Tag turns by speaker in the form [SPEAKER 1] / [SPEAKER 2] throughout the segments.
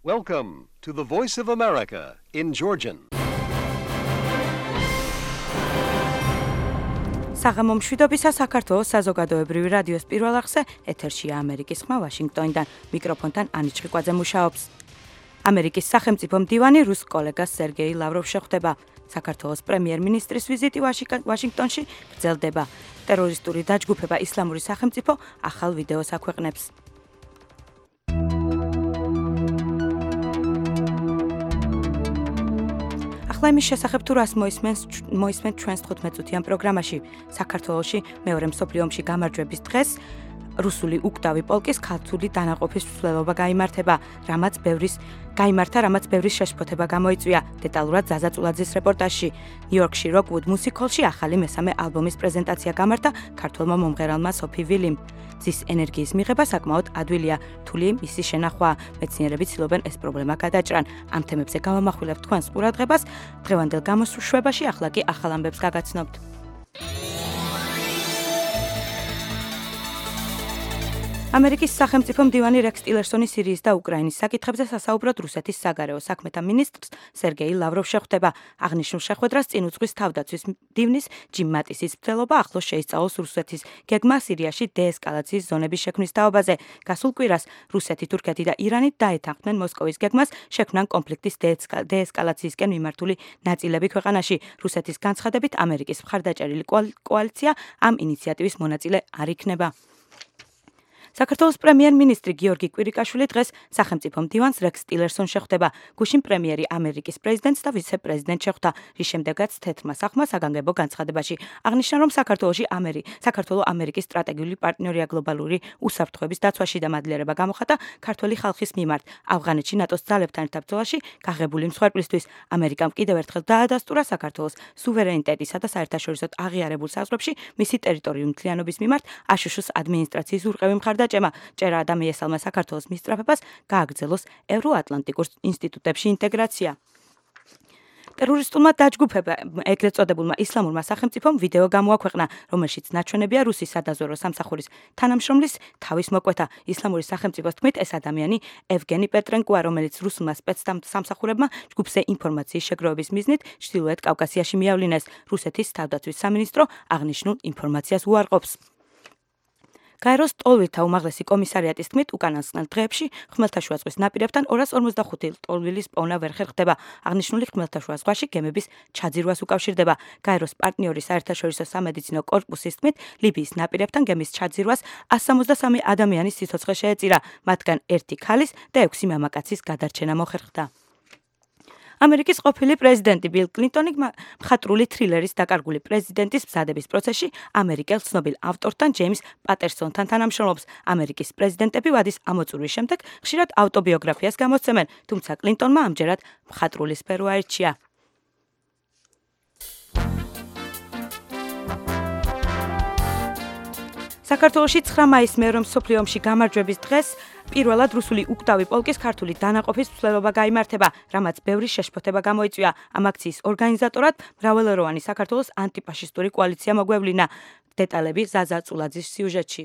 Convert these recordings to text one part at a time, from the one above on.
[SPEAKER 1] Welcome to the Voice of America in Georgian.
[SPEAKER 2] საღამომშვიდობისა საქართველოს საზოგადოებრივი რადიოს პირველ არხზე ეთერშია ამერიკის ხმა ვაშინგტონიდან. მიკროფონთან ანი ჩხიკვაძე მუშაობს. ამერიკის სახელმწიფო მდივანი რუს კოლეგას სერგეი ლავროვს შეხვდება. საქართველოს პრემიერ-მინისტრის ვიზიტი ვაშინგტონში გრძელდება. ტერორისტული დაჯგუფება ისლამური სახელმწიფო ახალ ვიდეოს აქვეყნებს. ახლა იმის შესახებ თუ რას მოისმენთ ჩვენს 15-წუთიან პროგრამაში. საქართველოში მეორე მსოფლიო ომში გამარჯვების დღეს რუსული უკტავი პოლკის ქართული დანაყოფის მსვლელობა გაიმართა, რამაც ბევრის შეშფოთება გამოიწვია. დეტალურად ზაზა წულაძის რეპორტაჟში. ნიუ-იორკში როკვუდ მუსიკ-ჰოლში ახალი მესამე ალბომის პრეზენტაცია გამართა ქართველმა მომღერალმა სოფი ვილიმ. ძის ენერგიის მიღება საკმაოდ ადვილია, რთული მისი შენახვა. მეცნიერები ცდილობენ ეს პრობლემა გადაჭრან. ამ თემებზე გავამახვილებთ თქვენს ყურადღებას. დღევანდელ გამოსვლებაში ახლა კი ახალ ამბებს გაგაცნობთ. ამერიკის სახელმწიფო მდივანი რექს ტილერსონი სირიის და უკრაინის საკითხებზე სასაუბროდ რუსეთის საგარეო საქმეთა მინისტრს სერგეი ლავროვს შეხვდება. აღნიშნულ შეხვედრას წინ უძღვის თავდაცვის მდივნის ჯიმ მატისის მცდელობა ახლოს შეისწავლოს რუსეთის გეგმა სირიაში დეესკალაციის ზონების შექმნის თაობაზე. გასულ კვირას რუსეთი, თურქეთი და ირანი დაეთანხმნენ მოსკოვის გეგმას შექმნან კონფლიქტის დეესკალაციისკენ მიმართული ნაწილები ქვეყანაში. რუსეთის განცხადებით ამერიკის მხარდაჭერილი კოალიცია ამ ინიციატივის მონაწილე არ იქნება. საქართველოს პრემიერ-მინისტრი გიორგი კვირიკაშვილი დღეს სახელმწიფო მდივანს რექს ტილერსონს შეხვდება. გუშინ პრემიერი ამერიკის პრეზიდენტს და ვიცე-პრეზიდენტს შეხვდა, რის შემდეგაც თეთრმა სახმა საგანგებო განცხადებაში აღნიშნა, რომ საქართველო ამერიკის სტრატეგიული პარტნიორია გლობალური უსაფრთხოების დაცვაში და მადლიერება გამოხატა ქართველი ხალხის მიმართ. ავღანეთში ნატოს ძალებთან ერთად ბრძოლაში გაღებული მსხვერპლისთვის ამერიკამ კიდევ ერთხელ დაადასტურა საქართველოს სუვერენიტეტისა და საერთაშორისო აღიარებულ საზღვრებში მისი ტერიტორიული მთლიანობის მიმართ აშშ-ის ადმინისტრაციის ურყევი მხარდაჭერა და მიესალმა საქართველოს მისწრაფებას გააგრძელოს ევროატლანტიკურ ინსტიტუტებში ინტეგრაცია. ტერორისტულმა დაჯგუფებამ ეგრეთ წოდებულმა ისლამურმა სახელმწიფომ ვიდეო გამოაქვეყნა, რომელშიც ნაჩვენებია რუსის სადაზვერვო სამსახურის თანამშრომლის თავის მოკვეთა. ისლამური სახელმწიფოს თქმით, ეს ადამიანი ევგენი პეტრენკოა, რომელიც რუსულმა სპეცსამსახურებმა ჯგუფზე ინფორმაციის შეგროვების მიზნით ჩრდილოეთ კავკასიაში მიავლინეს. რუსეთის თავდაცვის სამინისტრო აღნიშნულ ინფორმაციას უარყოფს. გაეროს ტოლვილთა უმაღლესი კომისარიატის თქმით, უკანასკნელ დღეებში ხმელთაშუა ზღვის ნაპირებთან 245 ტოლვილის პოვნა ვერ ხერხდება. აღნიშნული ხმელთაშუა ზღვაში გემების ჩაძირვას უკავშირდება. გაეროს პარტნიორი საერთაშორისო სამედიცინო კორპუსის თქმით, ლიბიის ნაპირებთან გემის ჩაძირვას 163 ადამიანის სიცოცხლე შეეწირა, მათგან 1 ქალის და 6 მამაკაცის გადარჩენა მოხერხდა. ამერიკის ყოფილი პრეზიდენტი ბილ კლინტონი მხატვრული თრილერის დაკარგული პრეზიდენტის მზადების პროცესში ამერიკელ ცნობილ ავტორთან ჯეიმს პატერსონთან თანამშრომლობს. ამერიკის პრეზიდენტები ვადის ამოწურვის შემდეგ ხშირად ავტობიოგრაფიას გამოსცემენ, თუმცა კლინტონმა ამჯერად მხატვრული სფერო აირჩია. საქართველოში 9 მაისს მეორე მსოფლიო ომში გამარჯვების დღეს პირველად რუსული უკტავი პოლკის ქართული დანაყოფის მსვლელობა გაიმართა, რამაც ბევრი შეშფოთება გამოიწვია. ამ აქციის ორგანიზატორად მრავალეროვანი საქართველოს ანტიფაშისტური კოალიცია მოგვევლინა. დეტალები ზაზა წულაძის სიუჟეტში.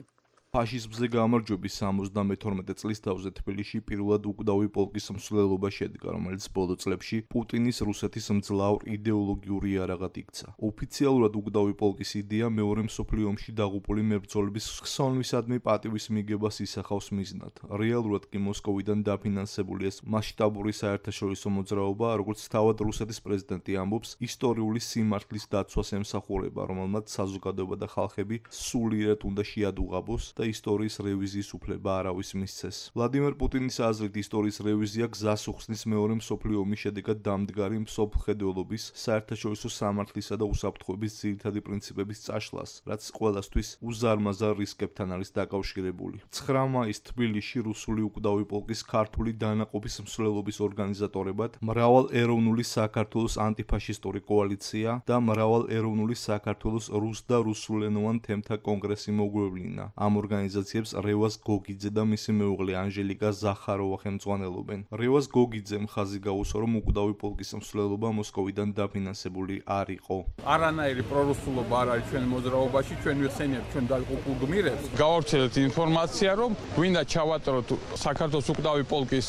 [SPEAKER 3] ფაშიზმზე გამარჯვების 72 წლის თავზე თბილისში პირველად უკდავი პოლკის მსვლელობა შედგა, რომელიც ბოლო წლებში პუტინის რუსეთის მძლავრ იდეოლოგიური იარაღად იქცა. ოფიციალურად უკდავი პოლკის იდეა მეორე მსოფლიო ომში დაღუპული მებრძოლების ხსოვნისადმი პატივის მიგებას ისახავს მიზნად. რეალურად კი მოსკოვიდან დაფინანსებული ეს მასშტაბური საერთაშორისო მოძრაობა, როგორც თავად რუსეთის პრეზიდენტი ამბობს, ისტორიული სიმართლის დაცვას ემსახურება, რომელმაც საზოგადოება და ხალხები სულიერად უნდა შეადუღაბოს და ისტორიის რევიზიის უფლება არავის მისცეს. ვლადიმერ პუტინის აზრით ისტორიის რევიზია გზას უხსნის მეორე მსოფლიო ომის შედეგად დამდგარი მსოფლმხედველობის, საერთაშორისო სამართლისა და უსაფრთხოების ძირითადი პრინციპების წაშლას, რაც ყველასთვის უზარმაზარ რისკებთან არის დაკავშირებული. 9 მაისს თბილისში რუსული უკდავი პოლკის ქართული დანაყოფის მსვლელობის ორგანიზატორებად მრავალეროვნული საქართველოს ანტიფაშისტური კოალიცია და მრავალეროვნული საქართველოს რუს და რუსულენოვან თემთა კონგრესი მოგვევლინა. ამ ორგანიზაციებს რევას გოგიძე და მისი მეუღლე ანჟელიკა ზახაროვა ხელმძღვანელობენ. რევას გოგიძემ ხაზი გაუსვა, რომ უკვდავი პოლკის მსვლელობა მოსკოვიდან დაფინანსებული არ იყო.
[SPEAKER 4] არანაირი პრორუსულობა არ არის ჩვენ მოძრაობაში, ჩვენ ვიხსენიებთ ჩვენ დაკუპულ გმირებს. გავავრცელეთ ინფორმაცია, რომ გვინდა ჩავატაროთ საქართველოს უკვდავი პოლკის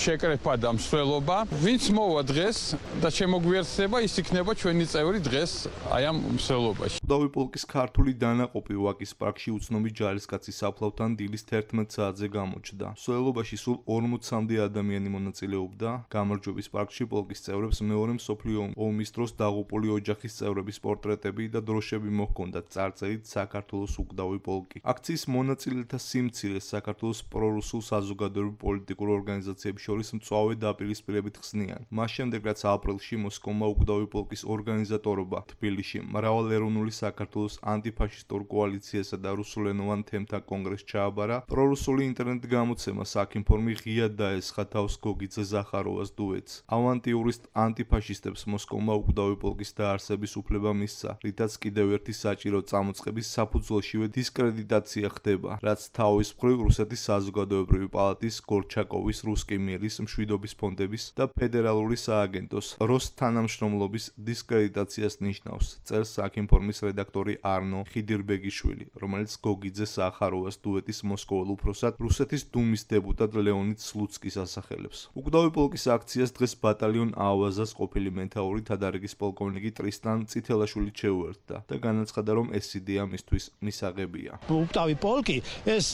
[SPEAKER 4] შეკრება და მსვლელობა. ვინც მოვა დღეს და შემოგვიერთდება, ის იქნება ჩვენი წევრი დღეს აი ამ მსვლელობაში.
[SPEAKER 3] Kwdawi polkis ქართული დანაყოფი ვაკის პარკში უცნობი ჯარისკაცის საფლავთან დილის 11 საათზე გამოჩნდა. მსვლელობაში სულ 40-მდე ადამიანი მონაწილეობდა. გამარჯვების პარკში პოლკის წევრებს მეორე მსოფლიო ომის დროს დაღუპული ოჯახის წევრების პორტრეტები და დროშები მოჰქონდათ წარწერით საქართველოს უკვდავი პოლკი. აქციის მონაწილეთა სიმცირეს საქართველოს პრორუსულ საზოგადოებრივ პოლიტიკურ ორგანიზაციებს შორის მწვავე დაპირისპირებით ხსნიან. მას შემდეგ რაც აპრილში მოსკოვმა უკვდავი პოლკის ორგანიზატორობა თბილისში მრავალეროვნული საქართველოს ანტიფაშისტურ კოალიციასა და რუსულენოვან თემთა კონგრესს ჩააბარა, პრორუსული ინტერნეტ გამოცემა საქინფორმი ღიად დაესხა თავს გოგიძე ზახაროვას დუეტს. ავანტიურისტ ანტიფაშისტებს მოსკოვმა უკვდავი პოლკის დაარსების უფლება მისცა, რითაც კიდევ ერთი საჭირო წამოწყების საფუძველშივე დისკრედიტაცია ხდება, რაც თავის მხრივ რუსეთის საზოგადოებრივი პალატის, გორჩაკოვის, რუსკი მირის, მშვიდობის ფონდების და ფედერალური სააგენტოს როს თანამშრომლობის დისკრედიტაციას ნიშნავს. წერს საქინფორმის რედაქტორი არნო ხიდირბეგიშვილი, რომელიც გოგიძე ზახაროვას დუეტის მოსკოველ უფროსად რუსეთის დუმის დეპუტატ ლეონიდ სლუცკის ასახელებს. უკვდავი პოლკის აქციას დღეს ბატალიონ ავაზას ყოფილი მეთაური თადარიგის პოლკოვნიკი ტრისტან წითელაშვილი შეუერთდა და განაცხადა, რომ ეს იდეა მისთვის მისაღებია.
[SPEAKER 5] Kwdawi პოლკი ეს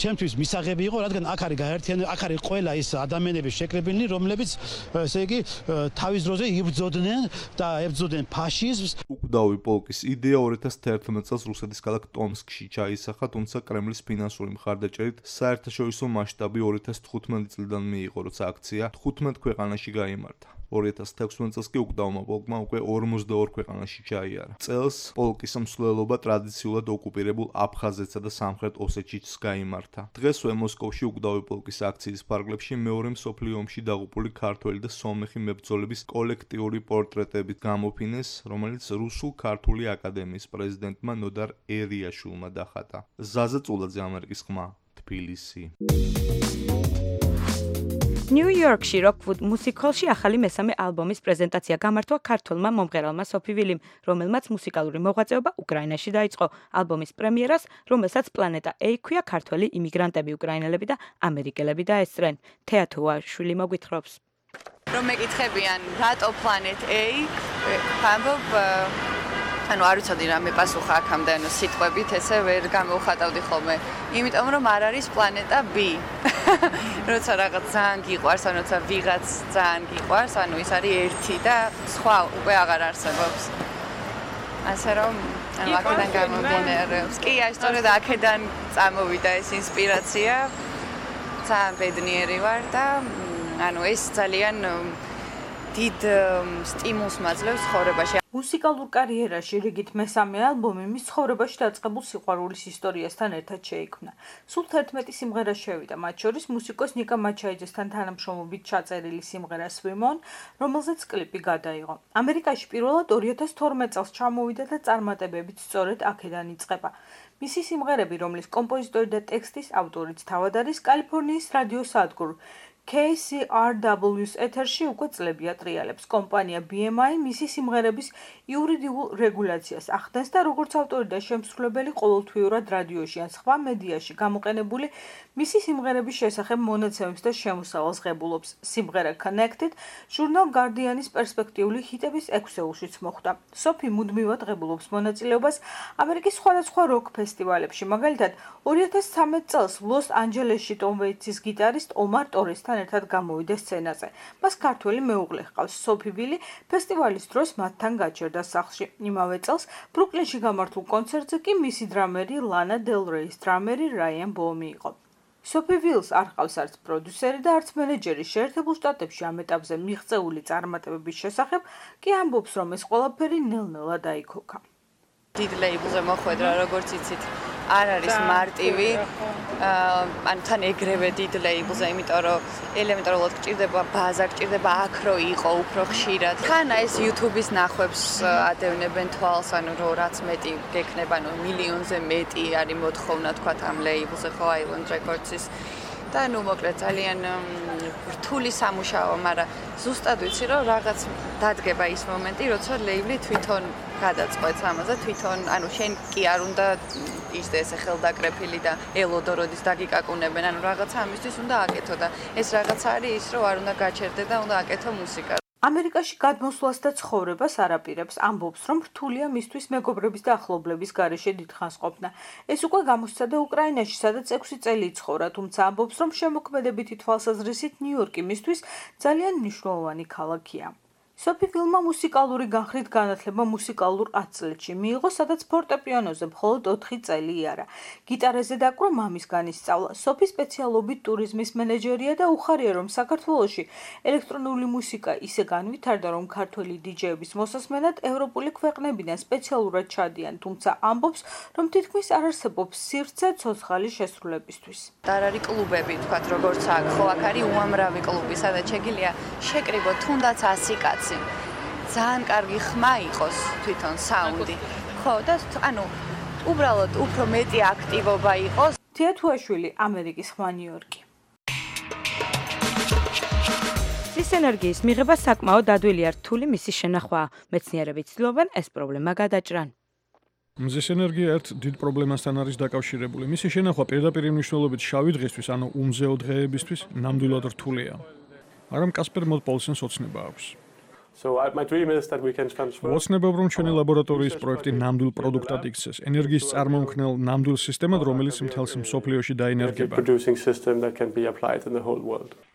[SPEAKER 5] ჩემთვის მისაღები იყო, რადგან აქ არის გაერთიანებული, აქ არის ყველა ის ადამიანები შეკრებილნი, რომლებიც ესე იგი თავის დროზე იბრძოდნენ და ებრძოდნენ ფაშიზმს.
[SPEAKER 3] Kwdawi პოლკის იდეა 2011 წელს რუსეთის ქალაქ ტომსკში ჩაისახა, თუმცა კრემლის ფინანსური მხარდაჭერით საერთაშორისო მასშტაბი 2015 წლიდან მიიღო, როცა აქცია 15 ქვეყანაში გაიმართა. 2016 წელს კი უკვდავმა პოლკმა უკვე 42 ქვეყანაში ჩაიარა. წელს პოლკის მსვლელობა ტრადიციულად ოკუპირებულ აფხაზეთსა და სამხრეთ ოსეთშიც გაიმართა. დღესვე მოსკოვშიკვდავი პოლკის აქციის ფარგლებში მეორე მსოფლიო ომში დაღუპული ქართველი და სომეხი მებრძოლების კოლექტიური პორტრეტებით გამოფინეს, რომელიც რუსულ-ქართული აკადემიის პრეზიდენტმა ნოდარ ერიაშვილმა დახატა. ზაზა წულაძე, ამერიკის ხმა, თბილისი.
[SPEAKER 2] ნიუ-იორკში როკ-ვუდ მუსიკ-ჰოლში ახალი მესამე ალბომის პრეზენტაცია გამართვა ქართველმა მომღერალმა სოფი ვილიმ, რომელმაც მუსიკალური მოღვაწეობა უკრაინაში დაიწყო. ალბომის პრემიერას, რომელსაც პლანეტა A ქვია, ქართველი იმიგრანტები, უკრაინელები და ამერიკელები დაესწრენ. თეათუაშვილი მოგვითხრობს.
[SPEAKER 6] რომ მეკითხებიან, რატო Planet A? ამბობ ანუ არ ვიცოდი რა მეპასუხა აქამდე, ანუ სიტყვებით ესე ვერ გამოვხატავდი ხოლმე. იმიტომ რომ არ არის პლანეტა B. როცა რაღაც ძალიან გიყვარს, ანუ როცა ვიღაც ძალიან გიყვარს, ანუ ის არის ერთი და სხვა უკვე აღარ არსებობს. ასე რომ ანუ აქედან გამომდინარეობს. კი, სწორედ აქედან წამოვიდა ეს ინსპირაცია. ძალიან ბედნიერი ვარ და ანუ ეს ძალიან დიდ სტიმულს მაძლევს ცხოვრებაში.
[SPEAKER 7] მუსიკალურ კარიერაში რიგით მესამე ალბომი მის ცხოვრებაში დაწყებულ სიყვარულის ისტორიასთან ერთად შეიქმნა. სულ 11 სიმღერა შევიდა, მათ შორის მუსიკოს ნიკა მაჩაიძესთან თანამშრომლობით ჩაწერილი სიმღერა Swim On, რომელზეც კლიპი გადაიღო. ამერიკაში პირველად 2012 წელს ჩამოვიდა და წარმატებებით სწორედ აქედან იწყება. მისი სიმღერები, რომლის კომპოზიტორი და ტექსტის ავტორიც თავად არის კალიფორნიის რადიო სადგურ KCRW-ს ეთერში უკვე წლები ატრიალებს. კომპანია BMI მისი სიმღერების იურიდიულ რეგულაციას ახდენს და როგორც ავტორი და შემსრულებელი ყოველთვიურად რადიოში ან სხვა მედიაში გამოყენებული მისი სიმღერების შესახებ მონაცემებს და შემოსავალს ღებულობს. სიმღერა Connected ჟურნალ Guardian-ის პერსპექტიული ჰიტების 6-ეულშიც მოხვდა. სოფი მუდმივად ღებულობს მონაწილეობას ამერიკის სხვადასხვა როკ ფესტივალებში. მაგალითად, 2013 წელს ლოს-ანჯელესში ტომ ვეიტსის გიტარისტ ომარ ტორესთან ერთად გამოვიდა სცენაზე. მას ქართველი მეუღლე ჰყავს, სოფი ვილი ფესტივალის დროს მათთან გაჩერდა სახლში. იმავე წელს ბრუკლინში გამართულ კონცერტზე კი მისი დრამერი ლანა დელ რეის დრამერი რაიან ბოუმი იყო. სოფი ვილს არ ჰყავს არც პროდიუსერი და არც მენეჯერი. შეერთებულ შტატებში ამ ეტაპზე მიღწეული წარმატებების შესახებ კი ამბობს, რომ ეს ყველაფერი ნელ-ნელა დაიქოქა.
[SPEAKER 6] დიდ ლეიბლზე მოხვედრა, როგორც იცით, არ არის მარტივი. ანუ თან ეგრევე დიდ ლეიბლზე, იმიტომ რომ ელემენტარულად გჭირდება ბაზა, გჭირდება აქრო იყო უფრო ხშირად. ხანა ეს YouTube-ის ნახვებს ადევნებენ თვალს, ანუ რომ რაც მეტი გექნება, ანუ მილიონზე მეტი არის მოთხოვნა თქვათ ამ ლეიბლზე, ხო, Island Records-ის. და ნუ მოკლედ ძალიან რთული სამუშაო, მაგრამ ზუსტად ვიცი რომ რაღაც დადგება ის მომენტი, როცა ლეიბლი თვითონ გადაწყვეტს ამაზე, თვითონ, ანუ შენ კი არ უნდა ისე ხელდაკრეფილი და ელოდო როდის დაგიკაკუნებენ, ანუ რაღაცა ამისთვის უნდა აკეთო და ეს რაღაცა არის ის, რომ არ უნდა გაჩერდე და უნდა აკეთო მუსიკა.
[SPEAKER 7] ამერიკაში გადმოსვლას და ცხოვრებას არაპირებს, ამბობს, რომ რთულია მისთვის მეგობრების და ახლობლების გარეშე დიდხანს ყოფნა. ეს უკვე გამოსცადა უკრაინაში, სადაც 6 წელი იცხოვრა, თუმცა ამბობს, რომ შემოქმედებითი თვალსაზრისით ნიუ-იორკი მისთვის ძალიან მნიშვნელოვანი ქალაქია. სოფი ვილმა მუსიკალური განხრით განათლება მუსიკალურ 10 წლებში მიიღო, სადაც ფორტეპიანოზე მხოლოდ 4 წელი იარა. გიტარაზე დაკვრა მამისგან ისწავლა. სოფი სპეციალობით ტურიზმის მენეჯერია და უხარია, რომ საქართველოში ელექტრონული მუსიკა ისე განვითარდა, რომ ქართველი დიჯეების მოსასმენად ევროპული ქვეყნებიდან სპეციალურად ჩადიან, თუმცა ამბობს, რომ თითქმის არ არსებობს სივრცე ცოცხალი შესრულებისთვის.
[SPEAKER 6] არ არის კლუბები, თქვათ, როგორც აქ, ხო, აქ არის უამრავი კლუბი, სადაც შეგიძლია შეკრიბოთ თუნდაც 100 კაცი. ძალიან კარგი ხმა იყოს თვითონ საუნდი. ხო, და ანუ უბრალოდ უფრო მეტი აქტივობა იყოს.
[SPEAKER 7] თია თუაშვილი, ამერიკის ხმა ნიუ-იორკი.
[SPEAKER 2] მზის ენერგიის მიღება საკმაოდ ადვილი არ რთული მისი შენახვაა. მეცნიერები ცდილობენ ეს პრობლემა გადაჭრან.
[SPEAKER 8] მზის ენერგია ერთ დიდ პრობლემასთან არის დაკავშირებული. მისი შენახვა პირდაპირ მნიშვნელობით შავი დღისთვის, ანუ უმზეო დღეებისთვის ნამდვილად რთულია. მაგრამ კასპერ მოდპოლსენს ოცნება აქვს. ვოცნებობ, რომ ჩვენი ლაბორატორიის პროექტი ნამდვილ პროდუქტად იქცეს, ენერგიის წარმომქმნელ ნამდვილ სისტემად, რომელიც მთელს მსოფლიოში დაინერგება.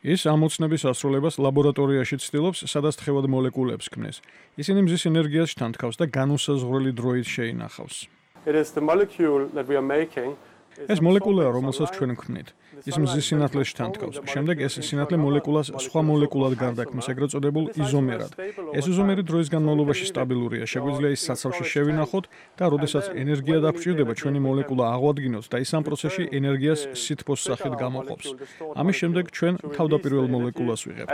[SPEAKER 8] ის ამ ოცნების ასრულებას ლაბორატორიაში ცდილობს, სადაც თხევად მოლეკულებს ქმნეს. ისინი მზის ენერგიას შთანთქავს და განუსაზღვრელი დროით შეინახავს. ეს მოლეკულაა, რომელსაც ჩვენ ვქმნით. ის მზის სინათლეს შთანთქავს. შემდეგ ეს სინათლე მოლეკულას სხვა მოლეკულად გარდაქმნის, ეგრეთ წოდებულ იზომერად. ეს იზომერი დროის განმავლობაში სტაბილურია. შეგვიძლია ის საცავში შევინახოთ და როდესაც ენერგია დაგვჭირდება, ჩვენი მოლეკულა აღვადგინოთ და ის ამ პროცესში ენერგიას სითბოს სახით გამოყოფს. ამის შემდეგ ჩვენ თავდაპირველ მოლეკულას ვიღებთ.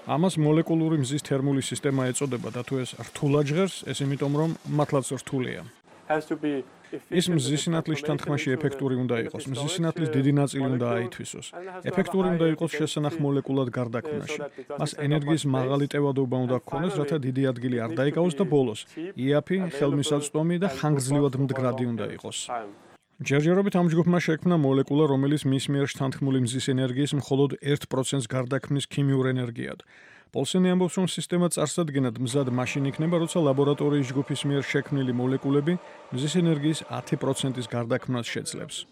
[SPEAKER 8] ამას მოლეკულური მზის თერმული სისტემა ეწოდება და თუ ეს რთულად ჟღერს, ეს იმიტომ რომ მართლაც რთულია. ის მზის სინათლის შთანთქმაში ეფექტური უნდა იყოს. მზის სინათლის დიდი ნაწილი უნდა აითვისოს. ეფექტური უნდა იყოს შესანახ მოლეკულად გარდაქმნაში. მას ენერგიის მაღალი ტევადობა უნდა ჰქონდეს, რათა დიდი ადგილი არ დაიკავოს და ბოლოს იაფი, ხელმისაწვდომი და ხანგრძლივად მდგრადი უნდა იყოს. ჯერჯერობით ამ ჯგუფმა შექმნა მოლეკულა, რომელიც მის მიერ შთანთქმული მზის ენერგიის მხოლოდ 1%-ს გარდაქმნის ქიმიურ ენერგიად. პოლსენი ამბობს, რომ სისტემა წარსადგენად მზად მაშინ იქნება, როცა ლაბორატორიის ჯგუფის მიერ შექმნილი მოლეკულები მზის ენერგიის 10%-ის გარდაქმნას შეძლებს.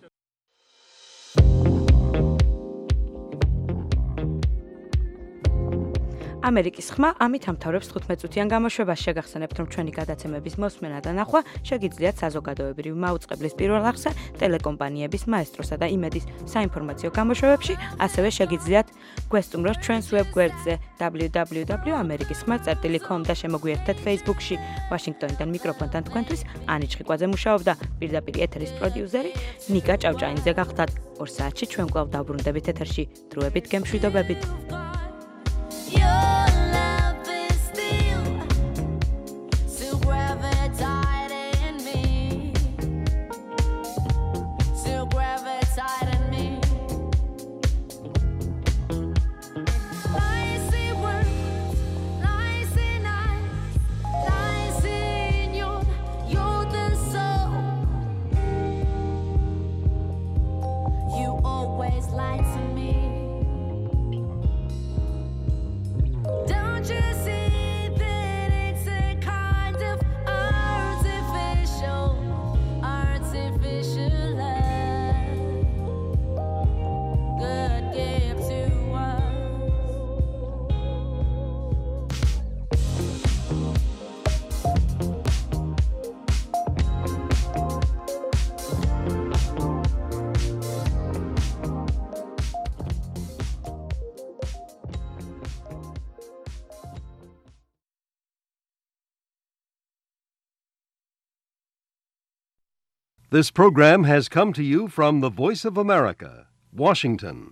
[SPEAKER 2] ამერიკის ხმა ამით ამთავრებს 15 წუთიან გამოშვებას. შეგახსენებთ, რომ ჩვენი გადაცემების მოსმენა და ნახვა შეგიძლიათ საზოგადოებრივ მაუწყებლის პირველ არხზე, ტელეკომპანიების მაესტროსა და იმედის საინფორმაციო გამოშვებებში, ასევე შეგიძლიათ გვესტუმროთ ჩვენს ვებგვერდზე www.amerikisxma.com და შემოგვიერთდეთ Facebook-ში. ვაშინგტონიდან მიკროფონთან თქვენთვის ანი ჩხიკვაძე მუშაობდა, პირდაპირ ეთერის პროდიუსერი ნიკა ჭავჭაინიძე გახდათ. 2 საათში ჩვენ კვლავ დავბრუნდებით ეთერში. დროებით გემშვიდობებით.
[SPEAKER 9] Lied to me.
[SPEAKER 1] This program has come to you from the Voice of America, Washington.